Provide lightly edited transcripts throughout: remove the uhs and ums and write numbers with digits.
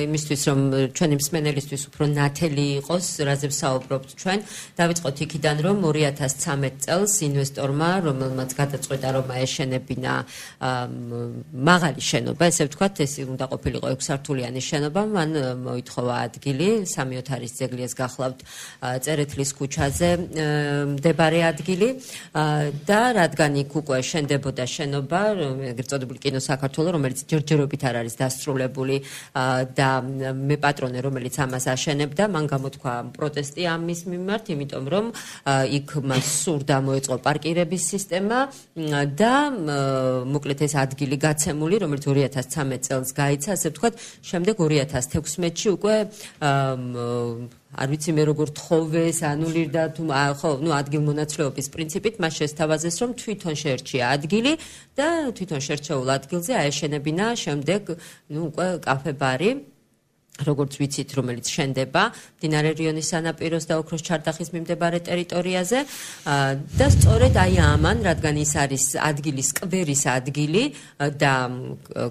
იმისთვის რომ ჩვენი მსმენელისთვის უფრო ნათელი იყოს, რაზე ვსაუბრობთ ჩვენ, დავიწყოთ იქიდან რომ 2013 წელს ინვესტორმა, რომელმაც გადაწყვეტა რომ აეშენებინა მაღალი შენობა, ესე ვთქვათ, ეს უნდა ყოფილიყო 6 სართულიანი შენობა, მან მოითხოვა ადგილი, 3-4 ძეგლიას გახლავთ წერეთლის ქუჩაზე მდებარე ადგილი და რადგან იქ უკვე შენდებოდა შენობა, ეგრეთ წოდებული კინო საქართველო, რომელიც ჯერჯერობით არ არის დასრულებული და მე პატრონე, რომელიც ამას აშენებდა, მან გამოთქვა პროტესტი ამის მიმართ, იმიტომ რომ იქ მას სურდა მოეწყო პარკირების სისტემა და მოკლედ ეს ადგილი გაცემული, რომელიც 2013 წელს გაიცა, ასე ვთქვათ, შემდეგ 2016-ში უკვე არ ვიცი მე როგორ თხოვეს, ანულირდა თუ ხო, ადგილმონაცვლეობის პრინციპით მას შესთავაზეს, რომ თვითონ შეერჩია ადგილი და თვითონ შერჩეულ ადგილზე აეშენებინა შემდეგ უკვე კაფე-ბარი, როგორც ვიცით, რომელიც შენდება მდინარე რიონის სანაპიროს და ოქროს ჩარდახის მიმდებარე ტერიტორიაზე და სწორედ აი ამან, რადგან ის არის ადგილის სკვერის ადგილი და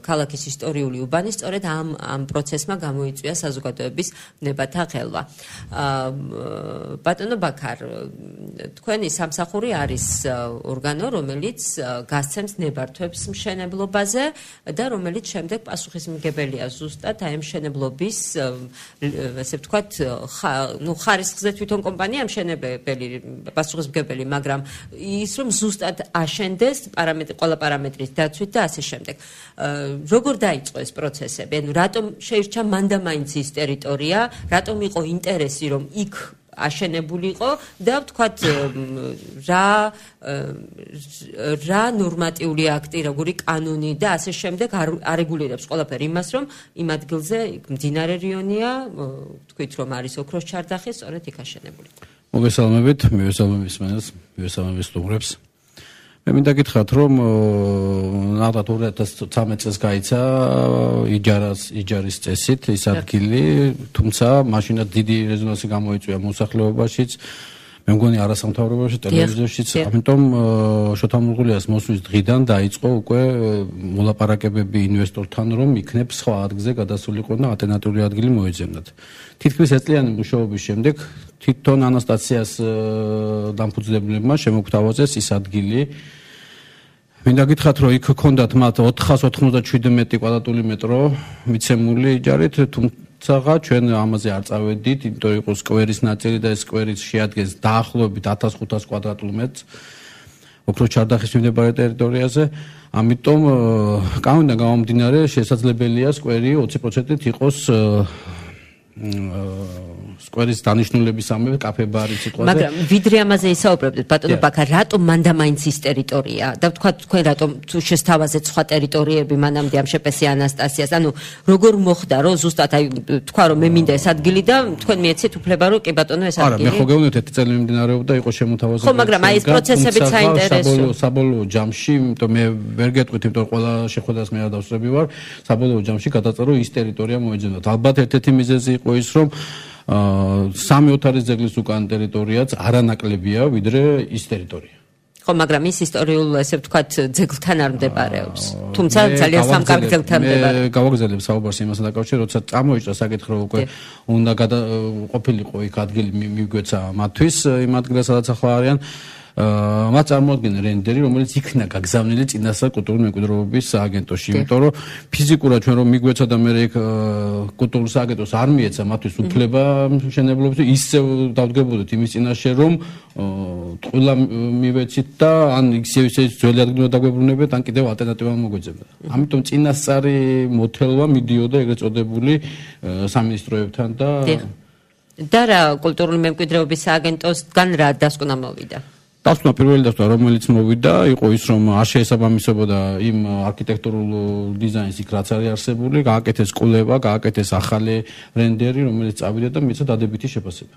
ქალაქის ისტორიული უბანი, სწორედ ამ პროცესმა გამოიწვია საზოგადოების ვნებათა ხელვა. ბატონო ბაქარ, თქვენი სამსახური არის ორგანო, რომელიც გასცემს ნებართვებს მშენებლობაზე და რომელიც შემდეგ პასუხისმგებელია ზუსტად აი მშენებლობის ესე ვთქვათ, ხარისხზე თვითონ კომპანია მშენებელი, პასუხისმგებელი, მაგრამ ის რომ ზუსტად აშენდეს ყველა პარამეტრის დაცვით და ასე შემდეგ. როგორ დაიწყო ეს პროცესები? ანუ რატომ შეირჩა მანდა მაინც ის ტერიტორია, რატომ იყო ინტერესი რომ იქ აშენებულიყო და ვთქვათ რა ნორმატიული აქტი, როგორი კანონი და ასე შემდეგ არეგულირებს ყველაფერი იმას, რომ იმ ადგილზე მდინარე რიონია, თქვით რომ არის ოქროს ჩარდახი, სწორედ იქ აშენებულიყო. მოგესალმებით, მივესალმებით მსმენელს, მივესალმებით სტუმრებს. მე მინდა გითხრათ, რომ ნახოთ 2013 წელს გაიცა იჯარის წესით ის ადგილი, თუმცა მაშინაც დიდი რეზონანსი გამოიწვია მოსახლეობაშიც, მე მგონი არასამთავრობოებაშიც, ტელევიზიაშიც, ამიტომ შოთა მურღულიას მოსვლის დღიდან დაიწყო უკვე მოლაპარაკებები ინვესტორთან, რომ იქნებ სხვა ადგილზე გადასულიყო და ალტერნატიული ადგილი მოეძებნათ. თითქმის ეწლიანი მუშაობის შემდეგ თვითონ ანასტაციას დამფუძნებლებმა შემოგთავაზეს ის ადგილი. მინდა გითხრათ, რომ იქ ჰქონდათ მათ 497 კვადრატული მეტრო მიცემული იჯარით, თუმცა ჩვენ ამაზე არ წავედით, იმიტომ იყო სკვერის ნაწილი და ეს სკვერიც შეადგენს დაახლოებით 1500 კვადრატულ მეტრს ოქროს ჩარდახის მიმდებარე ტერიტორიაზე. ამიტომ კანონიდან გამომდინარე შესაძლებელია სკვერი 20%-ით იყოს სკვერის დანიშნულებისამებრ კაფე-ბარი სიტყვაზე. მაგრამ ვიდრე ამაზე ისაუბრებდით, ბატონო ბაქარ, რატომ მანდა მაინც ის ტერიტორია? და ვთქვათ, თქვენ რატომ თუ შესთავაზეთ სხვა ტერიტორიები მანამდე ამ შეპესი ანასტასიას? ანუ როგორ მოხდა, რომ ზუსტად აი თქვა, რომ მე მინდა ეს ადგილი და თქვენ მიეცეთ უფლება, რომ კი ბატონო ეს ადგილი? არა, მე ხო გეუბნებთ, ერთი წელი მიმდინარეობდა, იყო შემოთავაზებული. ხო, მაგრამ აი ეს პროცესებიც საინტერესოა. საბოლოო ჯამში, იმიტომ მე ვერ გეტყვით, იმიტომ ყველა შეხვედრას მე არ დავსწრები ვარ, საბოლოო ჯამში გადაწერო ის ტერიტორია მოეძებნათ. ალბათ ერთ-ერთი მიზეზი იყო ის, რომ 3-4 ძეგლის უკან ტერიტორიაც არანაკლებია, ვიდრე ის ტერიტორია. ხო, მაგრამ ის ისტორიულ, ესე ვთქვათ, ძეგლთან არ მდებარეობს. თუმცა ძალიან სამკარგ ძეგლთან მდებარეობს. მე გავაგზავნებ საუბარს იმასთან დაკავშირებით, როცა წამოიჭრა საკითხი, რომ უკვე უნდა ყოფილიყო იქ ადგილი მიგვეცა მათთვის იმ ადგილას, სადაც ახლა არიან. მათ წარმოადგენენ რენდერი, რომელიც იქნა გაგზავნილი წინასწარ კულტურული მემკვიდრეობის სააგენტოში, იმიტომ რომ ფიზიკურად ჩვენ რომ მიგვეცა და მე იქ კულტურულ სააგენტოს არ მიეცა მათთვის უფლება მშენებლობის, ისევ დავდგებოდით იმის წინაშე, რომ ტყუილა მივეცით და ან ისევ ძველი ადგილზე დაგვებრუნებეთ, ან კიდევ ალტერნატივა მოგვეძებნა. ამიტომ წინასწარი მოთელვა მიდიოდა ეგრეთ წოდებული სამინისტროებთან და რა კულტურული მემკვიდრეობის სააგენტოსგან რა დასკვნა მოვიდა? დასკვნა პირველი დასკვნა, რომელიც მოვიდა, იყო ის, რომ არ შეესაბამისებოდა იმ არქიტექტურულ დიზაინს იქ რაც არის არსებული, გააკეთეს კვლევა, გააკეთეს ახალი რენდერი, რომელიც წავიდა და მიეცა დადებითი შეფასება.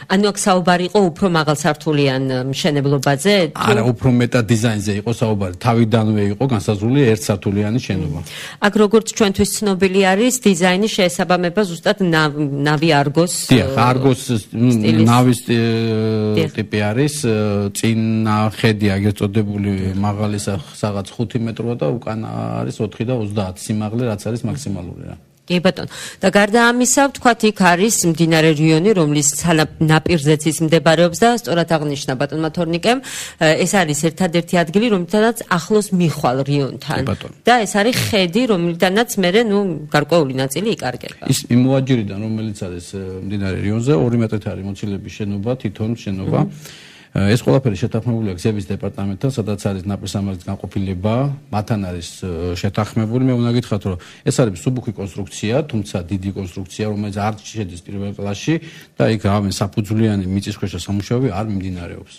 ანუ აქ საუბარი იყო უფრო მაღალსართულიან მშენებლობაზე? არა, უფრო მეტად დიზაინზე იყო საუბარი. თავიდანვე იყო განსაზღვრული ერთსართულიანი შენობა. აქ როგორც ჩვენთვის ცნობილი არის, დიზაინის შეესაბამება ზუსტად ნავი არგოს. დიახ, არგოს ნავის ტიპი არის. წინა ხედი აგერ წოდებული მაღალი რაღაც 5 მეტროა და უკან არის 4 და 30 სიმაღლე, რაც არის მაქსიმალური რა. კი ბატონო. და გარდა ამისა, ვთქვათ, იქ არის მდინარე რიონი, რომლის ნაპირზეც ის მდებარეობს და სწორად აღნიშნა ბატონმა თორნიკემ, ეს არის ერთადერთი ადგილი, რომლითაც ახლოს მიხვალ რიონთან. და ეს არის ხედი, რომლიდანაც მერე, გარკვეული ნაწილი იკარგება. ის იმ მოაჯირიდან, რომელიც არის მდინარე რიონზე, 2 მეტრით არის მოცილების შენობა, თითონ შენობა. ეს ყველაფერი შეთანხმებულია გზების დეპარტამენტთან, სადაც არის ნაპირსამართლის განყოფილება, მათთან არის შეთანხმებული. მე უნდა გითხრათ, რომ ეს არის მსუბუქი კონსტრუქცია, თუმცა დიდი კონსტრუქცია, რომელიც არ შედის პირველ კლასში და იქ რამე საფუძვლიანი მიწისქვეშა სამუშაოები არ მიმდინარეობს.